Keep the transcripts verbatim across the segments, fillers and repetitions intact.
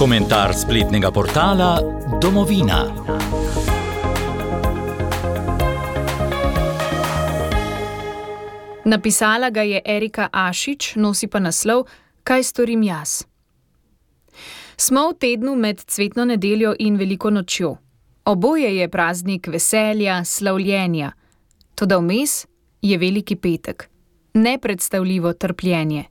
Komentar spletnega portala Domovina. Napisala ga je Erika Ašič, nosi pa naslov Kaj storim jaz? Smo v tednu med cvetno nedeljo in veliko nočjo. Oboje je praznik veselja, slavljenja. Toda vmes je veliki petek. Nepredstavljivo trpljenje.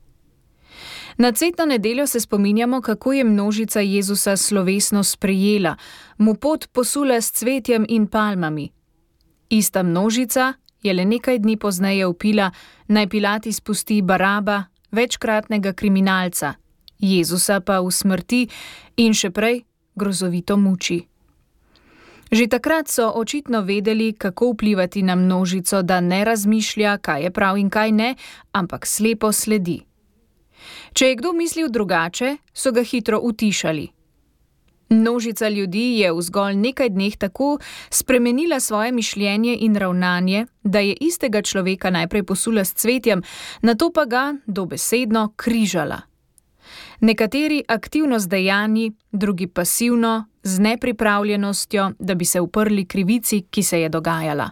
Na cvetno nedeljo se spominjamo, kako je množica Jezusa slovesno sprejela, mu pot posula s cvetjem in palmami. Ista množica je le nekaj dni pozneje vpila, naj Pilat izpusti Baraba, večkratnega kriminalca, Jezusa pa usmrti in še prej grozovito muči. Že takrat so očitno vedeli, kako vplivati na množico, da ne razmišlja, kaj je prav in kaj ne, ampak slepo sledi. Če je kdo mislil drugače, so ga hitro utišali. Množica ljudi je v zgolj nekaj dneh tako spremenila svoje mišljenje in ravnanje, da je istega človeka najprej posula s cvetjem, nato pa ga dobesedno križala. Nekateri aktivno z dejanji, drugi pasivno, z nepripravljenostjo, da bi se uprli krivici, ki se je dogajala.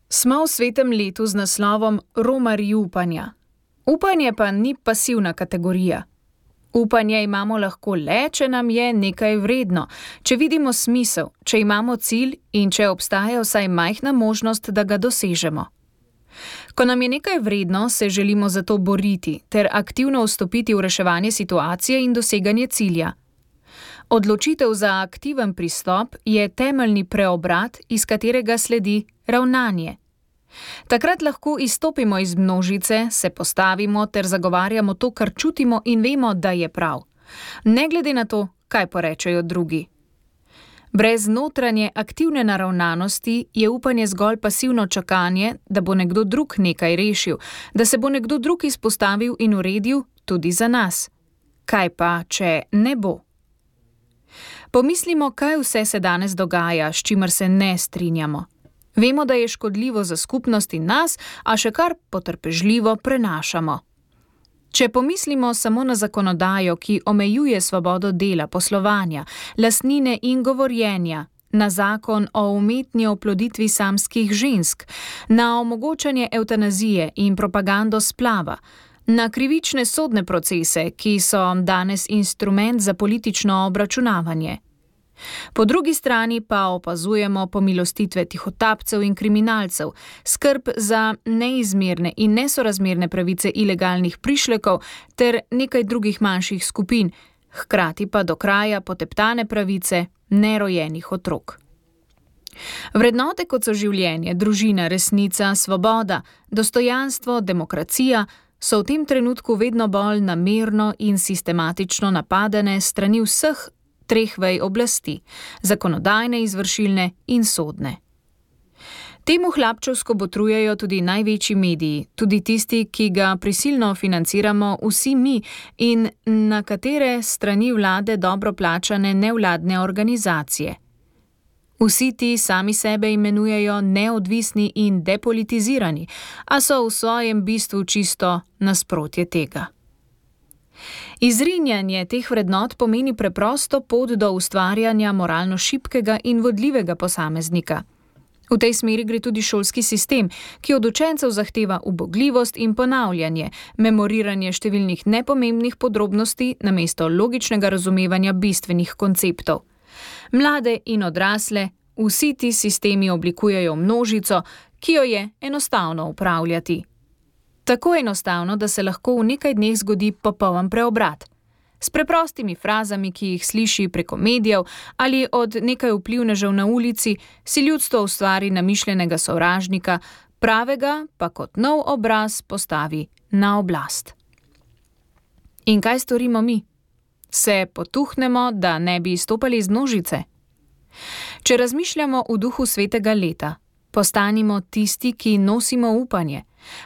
Smo v svetem letu z naslovom Romarji upanja. Upanje pa ni pasivna kategorija. Upanje imamo lahko le, če nam je nekaj vredno, če vidimo smisel, če imamo cilj in če obstaja vsaj majhna možnost, da ga dosežemo. Ko nam je nekaj vredno, se želimo za to boriti ter aktivno vstopiti v reševanje situacije in doseganje cilja. Odločitev za aktiven pristop je temeljni preobrat, iz katerega sledi ravnanje. Takrat lahko izstopimo iz množice, se postavimo ter zagovarjamo to, kar čutimo in vemo, da je prav. Ne glede na to, kaj porečejo drugi. Brez notranje aktivne naravnanosti je upanje zgolj pasivno čakanje, da bo nekdo drug nekaj rešil, da se bo nekdo drug izpostavil in uredil tudi za nas. Kaj pa, če ne bo? Pomislimo, kaj vse se danes dogaja, s čimer se ne strinjamo. Vemo, da je škodljivo za skupnost in nas, a še kar potrpežljivo prenašamo. Če pomislimo samo na zakonodajo, ki omejuje svobodo dela, poslovanja, lastnine in govorjenja, na zakon o umetni oploditvi samskih žensk, na omogočanje evtanazije in propagando splava, na krivične sodne procese, ki so danes instrument za politično obračunavanje. Po drugi strani pa opazujemo pomilostitve tihotapcev in kriminalcev, skrb za neizmerne in nesorazmerne pravice ilegalnih prišlekov ter nekaj drugih manjših skupin, hkrati pa do kraja poteptane pravice nerojenih otrok. Vrednote, kot so življenje, družina, resnica, svoboda, dostojanstvo, demokracija, so v tem trenutku vedno bolj namerno in sistematično napadene strani vseh treh vej oblasti, zakonodajne, izvršilne in sodne. Temu hlapčevsko botrujejo tudi največji mediji, tudi tisti, ki ga prisilno financiramo vsi mi in na katere strani vlade dobro plačane nevladne organizacije. Vsi ti sami sebe imenujejo neodvisni in depolitizirani, a so v svojem bistvu čisto nasprotje tega. Izrinjanje teh vrednot pomeni preprosto pot do ustvarjanja moralno šibkega in vodljivega posameznika. V tej smeri gre tudi šolski sistem, ki od učencev zahteva ubogljivost in ponavljanje, memoriranje številnih nepomembnih podrobnosti namesto logičnega razumevanja bistvenih konceptov. Mlade in odrasle, vsi ti sistemi oblikujejo množico, ki jo je enostavno upravljati. Tako enostavno, da se lahko v nekaj dneh zgodi popoln preobrat. S preprostimi frazami, ki jih sliši preko medijev ali od nekaj vplivnežev na ulici, si ljudstvo ustvari namišljenega sovražnika, pravega pa kot nov obraz postavi na oblast. In kaj storimo mi? Se potuhnemo, da ne bi izstopali iz množice? Če razmišljamo v duhu svetega leta, postanimo tisti, ki nosimo upanje.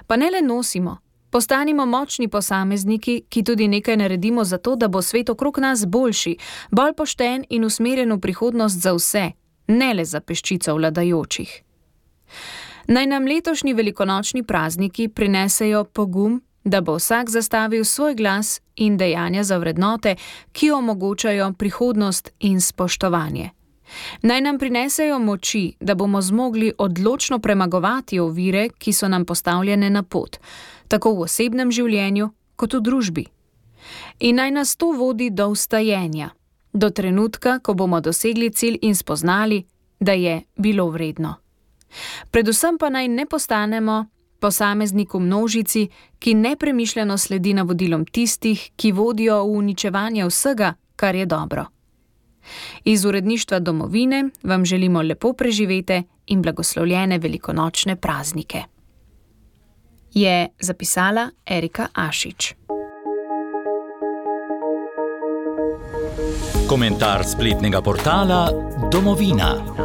Pa ne le nosimo, postanimo močni posamezniki, ki tudi nekaj naredimo za to, da bo svet okrog nas boljši, bolj pošten in usmerjen v prihodnost za vse, ne le za peščico vladajočih. Naj nam letošnji velikonočni prazniki prinesejo pogum, da bo vsak zastavil svoj glas in dejanja za vrednote, ki omogočajo prihodnost in spoštovanje. Naj nam prinesejo moči, da bomo zmogli odločno premagovati ovire, ki so nam postavljene na pot, tako v osebnem življenju kot v družbi. In naj nas to vodi do vstajenja, do trenutka, ko bomo dosegli cilj in spoznali, da je bilo vredno. Predvsem pa naj ne postanemo posameznik v množici, ki nepremišljeno sledi navodilom tistih, ki vodijo v uničevanje vsega, kar je dobro. Iz uredništva Domovine vam želimo lepo preživete in blagoslovljene velikonočne praznike. Je zapisala Erika Ašič. Komentar spletnega portala Domovina.